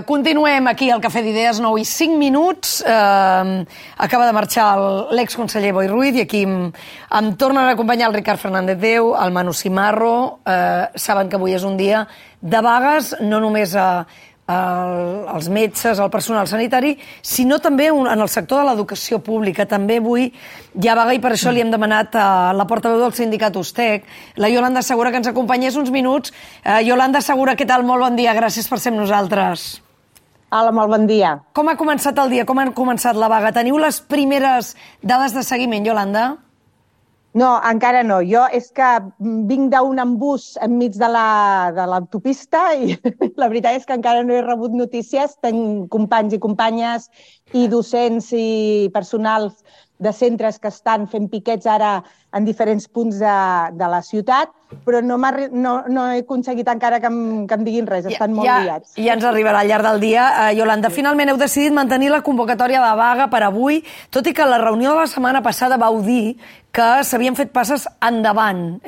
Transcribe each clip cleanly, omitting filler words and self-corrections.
Continuem aquí al Cafè d'Idees, 9:05. Acaba de marxar l'exconseller Boi Ruiz i aquí em tornen a acompanyar el Ricard Fernández Déu, el Manu Cimarro. Saben que avui és un dia de vagues, no només als metges, al personal sanitari, sinó també en el sector de l'educació pública. També avui hi ha vaga i per això li hem demanat a la portaveu del sindicat USTEC, la Iolanda Segura, que ens acompanyés uns minuts. Iolanda Segura, què tal? Molt bon dia, gràcies per ser amb nosaltres. Hola, molt bon dia. Com ha començat el dia? Com ha començat la vaga? Teniu les primeres dades de seguiment, Iolanda? No, encara no. Jo és que vinc d'un embús enmig de l'autopista i la veritat és que encara no he rebut notícies. Tenc companys i companyes i docents i personals de centres que estan fent piquets ara en diferents punts de la ciutat, però no he aconseguit encara que em diguin res, estan molt liats. Ja ens arribarà al llarg del dia. Iolanda, finalment heu decidit mantenir la convocatòria de vaga per avui, tot i que la reunió de la setmana passada vau dir que s'havien fet passes endavant.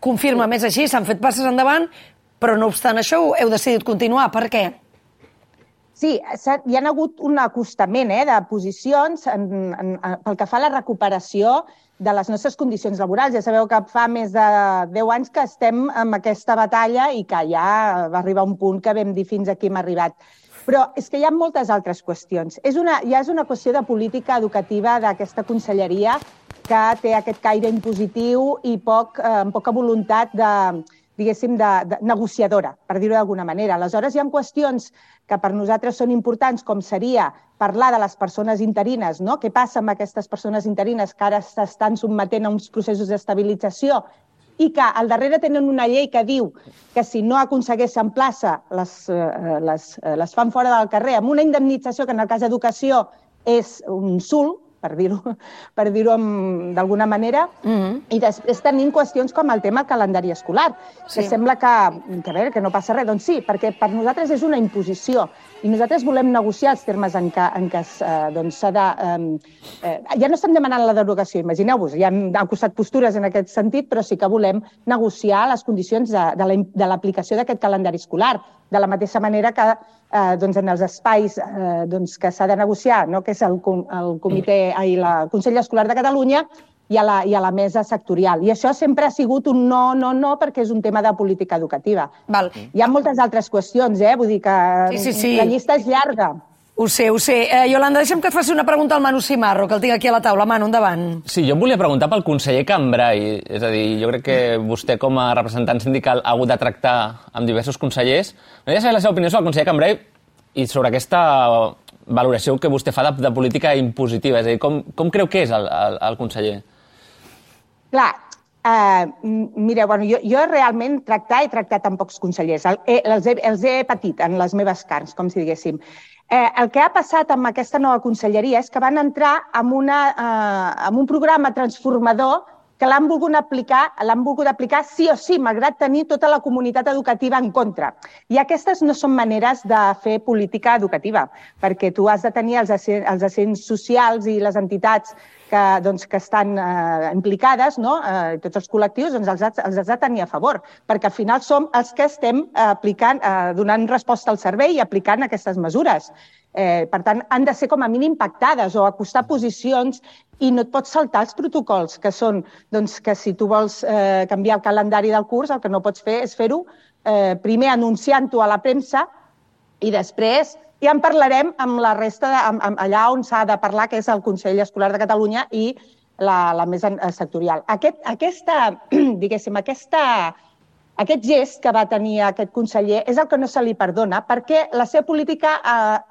Confirma, més així, s'han fet passes endavant, però no obstant això heu decidit continuar. Per què? Sí, hi ha hagut un acostament de posicions pel que fa a la recuperació de les nostres condicions laborals. Ja sabeu que fa més de 10 anys que estem en aquesta batalla i que ja va arribar un punt que vam dir fins aquí hem arribat. Però és que hi ha moltes altres qüestions. Ja és una qüestió de política educativa d'aquesta conselleria que té aquest caire impositiu i poca voluntat de negociadora, per dir-ho d'alguna manera. Aleshores, hi ha qüestions que per nosaltres són importants, com seria parlar de les persones interines, no? Què passa amb aquestes persones interines que ara s'estan sotmetent a uns processos d'estabilització i que al darrere tenen una llei que diu que si no aconsegueixen plaça les fan fora del carrer amb una indemnització que en el cas d'educació és un insult, per dir-ho d'alguna manera, i després tenim qüestions com el tema calendari escolar, que sembla que no passa res. Doncs sí, perquè per nosaltres és una imposició i nosaltres volem negociar els termes en què s'ha de... Ja no estem demanant la derogació, imagineu-vos, ja hem acostat postures en aquest sentit, però sí que volem negociar les condicions de l'aplicació d'aquest calendari escolar, de la mateixa manera que en els espais que s'ha de negociar, que és el Consell Escolar de Catalunya i a la mesa sectorial. I això sempre ha sigut un no, perquè és un tema de política educativa. Hi ha moltes altres qüestions, vull dir que la llista és llarga. Ho sé. Iolanda, deixa'm que et faci una pregunta al Manu Cimarro, que el tinc aquí a la taula. Manu, endavant. Sí, jo em volia preguntar pel conseller Cambray. És a dir, jo crec que vostè, com a representant sindical, ha hagut de tractar amb diversos consellers. M'agradaria saber la seva opinió sobre el conseller Cambray i sobre aquesta valoració que vostè fa de política impositiva. És a dir, com creu que és el conseller? Clar, mireu, jo realment he tractat amb pocs consellers. Els he patit en les meves carns, com si diguéssim. El que ha passat amb aquesta nova conselleria és que van entrar en un programa transformador que l'han volgut aplicar sí o sí, malgrat tenir tota la comunitat educativa en contra. I aquestes no són maneres de fer política educativa, perquè tu has de tenir els agents socials i les entitats que estan implicades, tots els col·lectius, els has de tenir a favor, perquè al final som els que estem donant resposta al servei i aplicant aquestes mesures. Per tant, han de ser com a mínim pactades o acostar posicions i no et pots saltar els protocols, que són que si tu vols canviar el calendari del curs, el que no pots fer és fer-ho primer anunciant-ho a la premsa i després ja en parlarem amb la resta, allà on s'ha de parlar, que és el Consell Escolar de Catalunya i la mesa sectorial. Aquest gest que va tenir aquest conseller és el que no se li perdona, perquè la seva política ha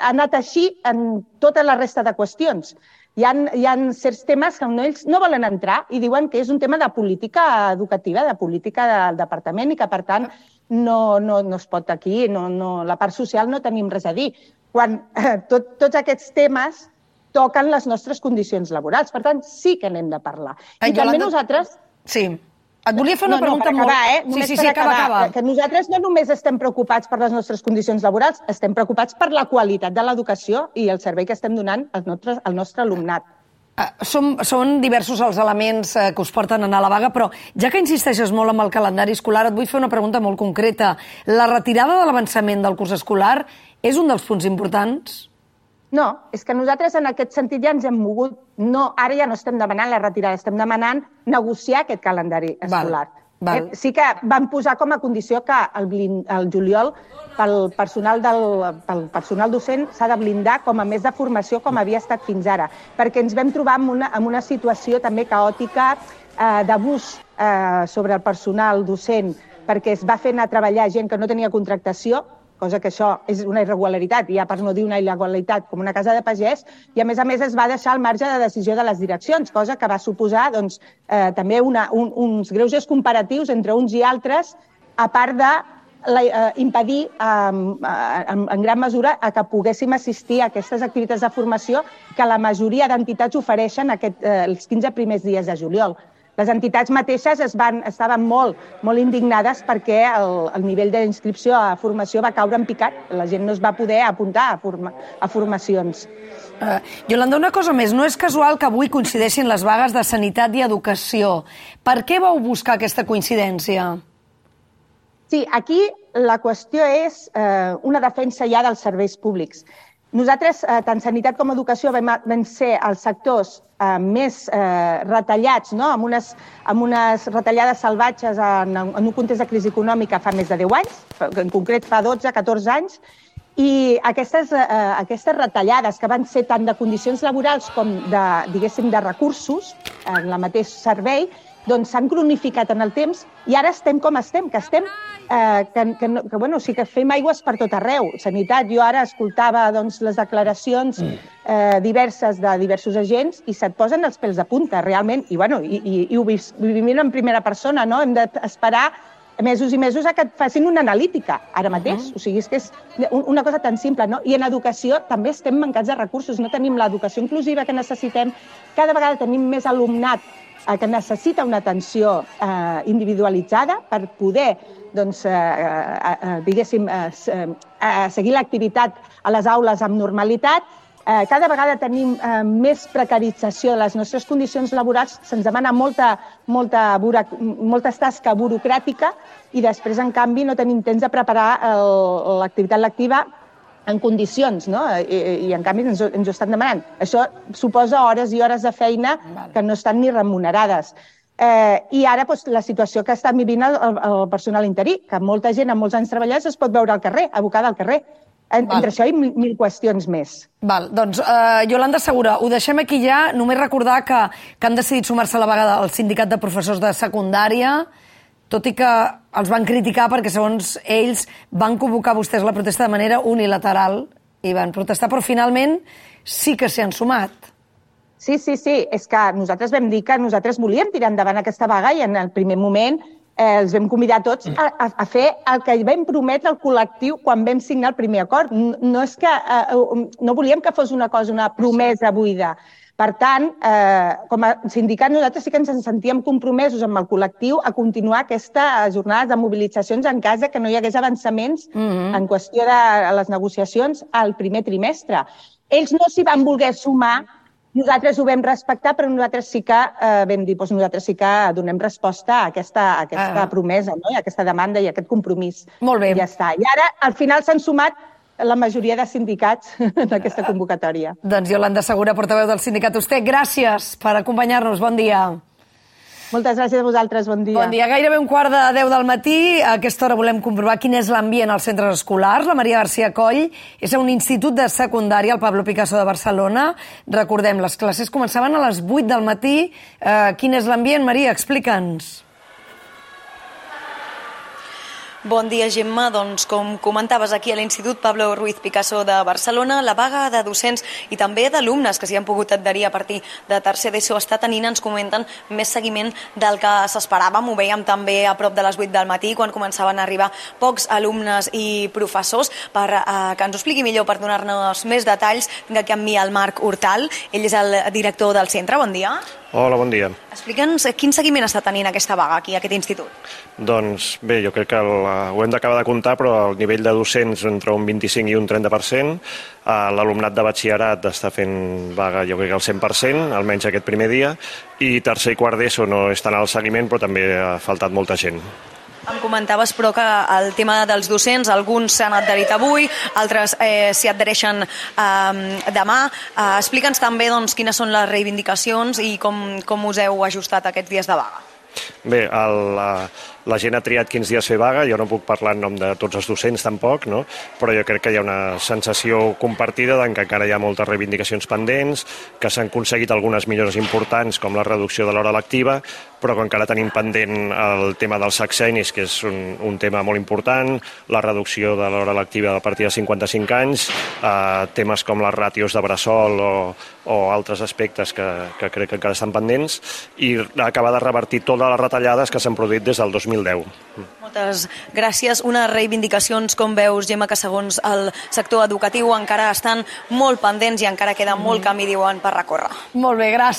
anat així en tota la resta de qüestions. Hi ha certs temes que ells no volen entrar i diuen que és un tema de política educativa, de política del departament i que, per tant, no es pot aquí, la part social no tenim res a dir. Quan tots aquests temes toquen les nostres condicions laborals. Per tant, sí que n'hem de parlar. I també nosaltres... Sí. Et volia fer una pregunta molt... Només per acabar. Que nosaltres no només estem preocupats per les nostres condicions laborals, estem preocupats per la qualitat de l'educació i el servei que estem donant al nostre alumnat. Són diversos els elements que us porten a anar a la vaga, però ja que insisteixes molt amb el calendari escolar, et vull fer una pregunta molt concreta. La retirada de l'avançament del curs escolar és un dels punts importants? No, és que nosaltres en aquest sentit ja ens hem mogut. No, ara ja no estem demanant la retirada, estem demanant negociar aquest calendari escolar. Sí que vam posar com a condició que el juliol pel personal docent s'ha de blindar com a més de formació com havia estat fins ara, perquè ens vam trobar en una situació també caòtica d'abús sobre el personal docent, perquè es va fer anar a treballar gent que no tenia contractació, cosa que això és una irregularitat, ja per no dir una il·legalitat, com una casa de pagès, i a més es va deixar al marge de decisió de les direccions, cosa que va suposar també uns greuges comparatius entre uns i altres, a part d'impedir en gran mesura que poguéssim assistir a aquestes activitats de formació que la majoria d'entitats ofereixen els 15 primers dies de juliol. Les entitats mateixes estaven molt indignades perquè el nivell d'inscripció a formació va caure en picat. La gent no es va poder apuntar a formacions. Iolanda, una cosa més. No és casual que avui coincideixin les vagues de Sanitat i Educació. Per què vau buscar aquesta coincidència? Sí, aquí la qüestió és una defensa ja dels serveis públics. Nosaltres, tant Sanitat com Educació, vam ser els sectors més retallats, amb unes retallades salvatges en un context de crisi econòmica fa més de 10 anys, en concret fa 12-14 anys, i aquestes retallades que van ser tant de condicions laborals com de recursos en el mateix servei, doncs s'han cronificat en el temps i ara estem com estem, que fem aigües per tot arreu. Sanitat, jo ara escoltava les declaracions diverses de diversos agents i se't posen els pèls de punta, realment, i ho vivim en primera persona, no? Hem d'esperar mesos i mesos a que et facin una analítica, ara mateix. O sigui, és que és una cosa tan simple, no? I en educació també estem mancats de recursos, no tenim l'educació inclusiva que necessitem, cada vegada tenim més alumnat que necessita una atenció individualitzada per poder seguir l'activitat a les aules amb normalitat. Cada vegada tenim més precarització de les nostres condicions laborals, se'ns demana molta tasca burocràtica i després, en canvi, no tenim temps de preparar l'activitat lectiva en condicions, no? I en canvi ens ho estan demanant. Això suposa hores i hores de feina que no estan ni remunerades. I ara la situació que està vivint el personal interí, que molta gent amb molts anys treballats es pot veure al carrer, abocada al carrer. Entre això i mil qüestions més. Doncs, Iolanda Segura, ho deixem aquí ja. Només recordar que han decidit sumar-se a la vaga del Sindicat de Professors de Secundària, tot i que els van criticar perquè, segons ells, van convocar vostès la protesta de manera unilateral i van protestar, però finalment sí que s'hi han sumat. Sí. És que nosaltres vam dir que nosaltres volíem tirar endavant aquesta vaga i en el primer moment els vam convidar tots a fer el que vam prometre al col·lectiu quan vam signar el primer acord. No volíem que fos una promesa buida. Per tant, com a sindicat, nosaltres sí que ens sentíem compromesos amb el col·lectiu a continuar aquestes jornades de mobilitzacions en cas que no hi hagués avançaments en qüestió de les negociacions al primer trimestre. Ells no s'hi van voler sumar, nosaltres ho vam respectar, però nosaltres sí que vam dir, nosaltres sí que donem resposta a aquesta promesa, a aquesta demanda i a aquest compromís. Molt bé. I ja està. I ara, al final, s'han sumat la majoria de sindicats d'aquesta convocatòria. Doncs Iolanda Segura, portaveu del sindicat USTEC, gràcies per acompanyar-nos. Bon dia. Moltes gràcies a vosaltres, bon dia. Bon dia. Gairebé 11:45 del matí. A aquesta hora volem comprovar quin és l'ambient als centres escolars. La Maria García Coll és a un institut de secundària, el Pablo Picasso de Barcelona. Recordem, les classes començaven a les 8 del matí. Quin és l'ambient, Maria? Explica'ns. Bon dia, Gemma. Doncs, com comentaves aquí a l'Institut Pablo Ruiz Picasso de Barcelona, la vaga de docents i també d'alumnes que s'hi han pogut adherir a partir de tercer d'ESO està tenint, ens comenten, més seguiment del que s'esperàvem. Ho vèiem també a prop de les 8 del matí, quan començaven a arribar pocs alumnes i professors. Per que ens ho expliqui millor, per donar-nos més detalls, tinc aquí amb mi el Marc Hortal. Ell és el director del centre. Bon dia. Hola, bon dia. Explica'ns quin seguiment està tenint aquesta vaga aquí, a aquest institut. Doncs bé, jo crec que ho hem d'acabar de comptar, però el nivell de docents entre un 25 i un 30%, l'alumnat de batxillerat està fent vaga jo crec que al 100%, almenys aquest primer dia, i tercer i quart d'ESO no estan al seguiment, però també ha faltat molta gent. Em comentaves, però, que el tema dels docents, alguns s'han adherit avui, altres s'hi adhereixen demà. Explica'ns també quines són les reivindicacions i com us heu ajustat aquests dies de vaga. Bé, la gent ha triat quins dies fer vaga, jo no puc parlar en nom de tots els docents tampoc, no? Però jo crec que hi ha una sensació compartida que encara hi ha moltes reivindicacions pendents, que s'han aconseguit algunes millores importants com la reducció de l'hora lectiva, però que encara tenim pendent el tema dels sexennis, que és un tema molt important, la reducció de l'hora lectiva a partir de 55 anys, temes com les ràtios de bressol o altres aspectes que crec que encara estan pendents, i acabar de revertir totes les retallades que s'han produït des del 2010. Moltes gràcies. Unes reivindicacions, com veus, Gemma, que segons el sector educatiu encara estan molt pendents i encara queda molt camí, diuen, per recórrer. Molt bé, gràcies.